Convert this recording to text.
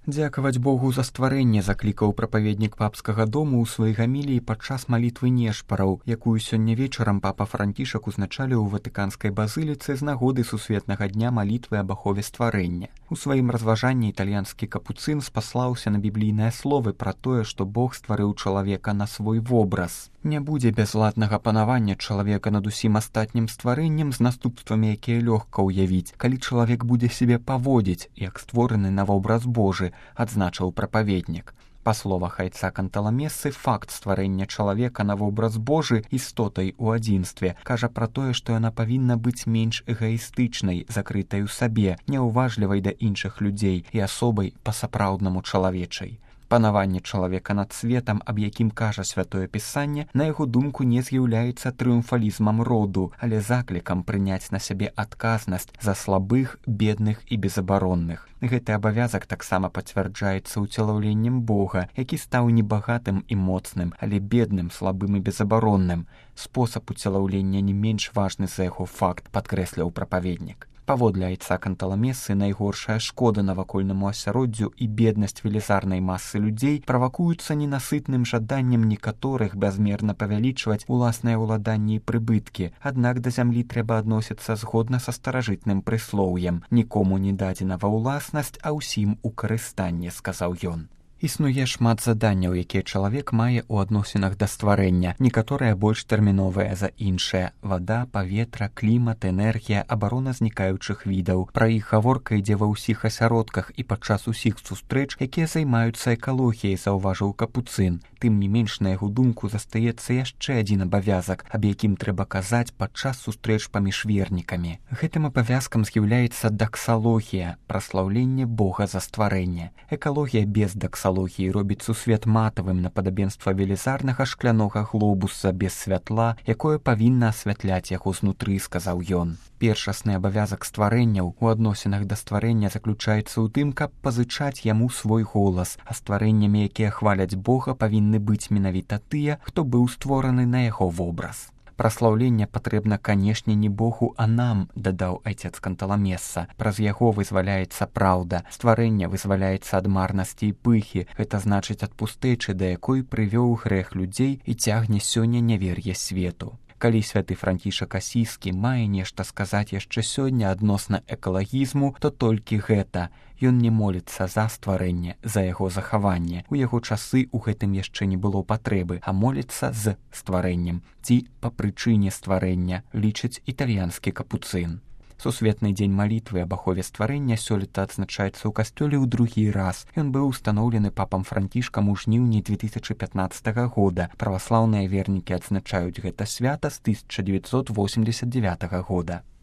Дзякаваць Богу за стварэнне заклікаў прапаведнік папскага дому ў сваёй гаміліі падчас малітвы нешпараў, якую сёння вечарам папа Францішак узначаліў у Ватыканскай базыліцы з нагоды сусветнага дня малітвы аб ахове стварэння. У сваім разважанні італьянскі капуцын спаслаўся на біблійныя словы пра тое, што Бог стварыў чалавека на свой вобраз. Не будзе бязладнага панавання чалавека над усім астатнім стварэннем з наступствамі, якія лёгка ўявіць, калі чалавек будзе сябе паводзіць, як створаны на вобраз Божы, адзначыў прапаведнік. Па словах айца Канталамесы, факт стварэння чалавека на вобраз Божы істотай у адзінстве кажа пра тое, што яна павінна быць менш эгаістычнай, закрытай у сабе, няўважлівай да іншых людзей і асобай па-сапраўднаму чалавечай. Панаванне чалавека над светам, аб якім кажа святое пісанне, на яго думку не з'яўляецца трыумфалізмам роду, але заклікам прыняць на сябе адказнасць за слабых, бедных і безабаронных. Гэты абавязак таксама пацвярджаецца ўцелаўленнем Бога, які стаў не багатым і моцным, але бедным, слабым і безабаронным. Спосаб уцелаўлення не менш важны за яго факт, падкрэсліў прапаведнік. Паводле айца Канталамесы, найгоршая шкода навакольнаму асяроддзю і беднасць велізарнай масы людзей правакуюцца ненасытным жаданнем некаторых бязмерна павялічваць уласныя ўладанні і прыбыткі. Аднак да зямлі трэба адносіцца згодна са старажытным прыслоўем: «Нікому не дадзена ва ўласнасць, а ўсім у карыстанне», сказаў ён. Існуе шмат заданняў, якія чалавек мае ў адносінах да стварэння. Некаторыя больш тэрміновыя за іншыя. Вада, паветра, клімат, энергія, абарона знікаючых відаў. Пра іх гаворка ідзе ва ўсіх асяродках і падчас усіх сустрэч, якія займаюцца экалогіяй, заўважыў капуцын. Тым не менш, на яго думку, застаецца яшчэ адзін абавязак, аб якім трэба казаць падчас сустрэч паміж вернікамі. Гэтым абавязкам з'яўляецца даксалогія, праслаўленне Бога за стварэнне. Экалогія без даксалогіі робіць сусвет матавым на падабенства велізарнага шклянога глобуса без святла, якое павінна асвятляць яго знутры, сказаў ён. Першасны абавязак стварэнняў у адносінах да стварэння заключаецца ў тым, каб пазычаць яму свой голас, а стварэннямі, якія хваляць Бога, павінны быць менавіта тыя, хто быў створаны на яго вобраз. Праслаўленне патрэбна, канешне, не Богу, а нам, дадаў айцец Канталамеса. Праз яго вызваляецца праўда, стварэнне вызваляецца ад марнасці і пыхі, гэта значыць ад пустэчы, да якой прывёў грэх людзей і цягне сёння нявер'е свету. Калі святы Францішак Асійскі мае нешта сказаць яшчэ сёння адносна экалагізму, то толькі гэта. Ён не моліцца за стварэнне, за яго захаванне. У яго часы ў гэтым яшчэ не было патрэбы, а моліцца з стварэннем ці па прычыне стварэння, лічыць італьянскі капуцын. Сусветны дзень малітвы аб ахове стварэння сёлета адзначаецца ў касцёле ў другі раз. Ён быў устаноўлены папам Францішкам у жніўні 2015 года. Праваслаўныя вернікі адзначаюць гэта свята з 1989 года.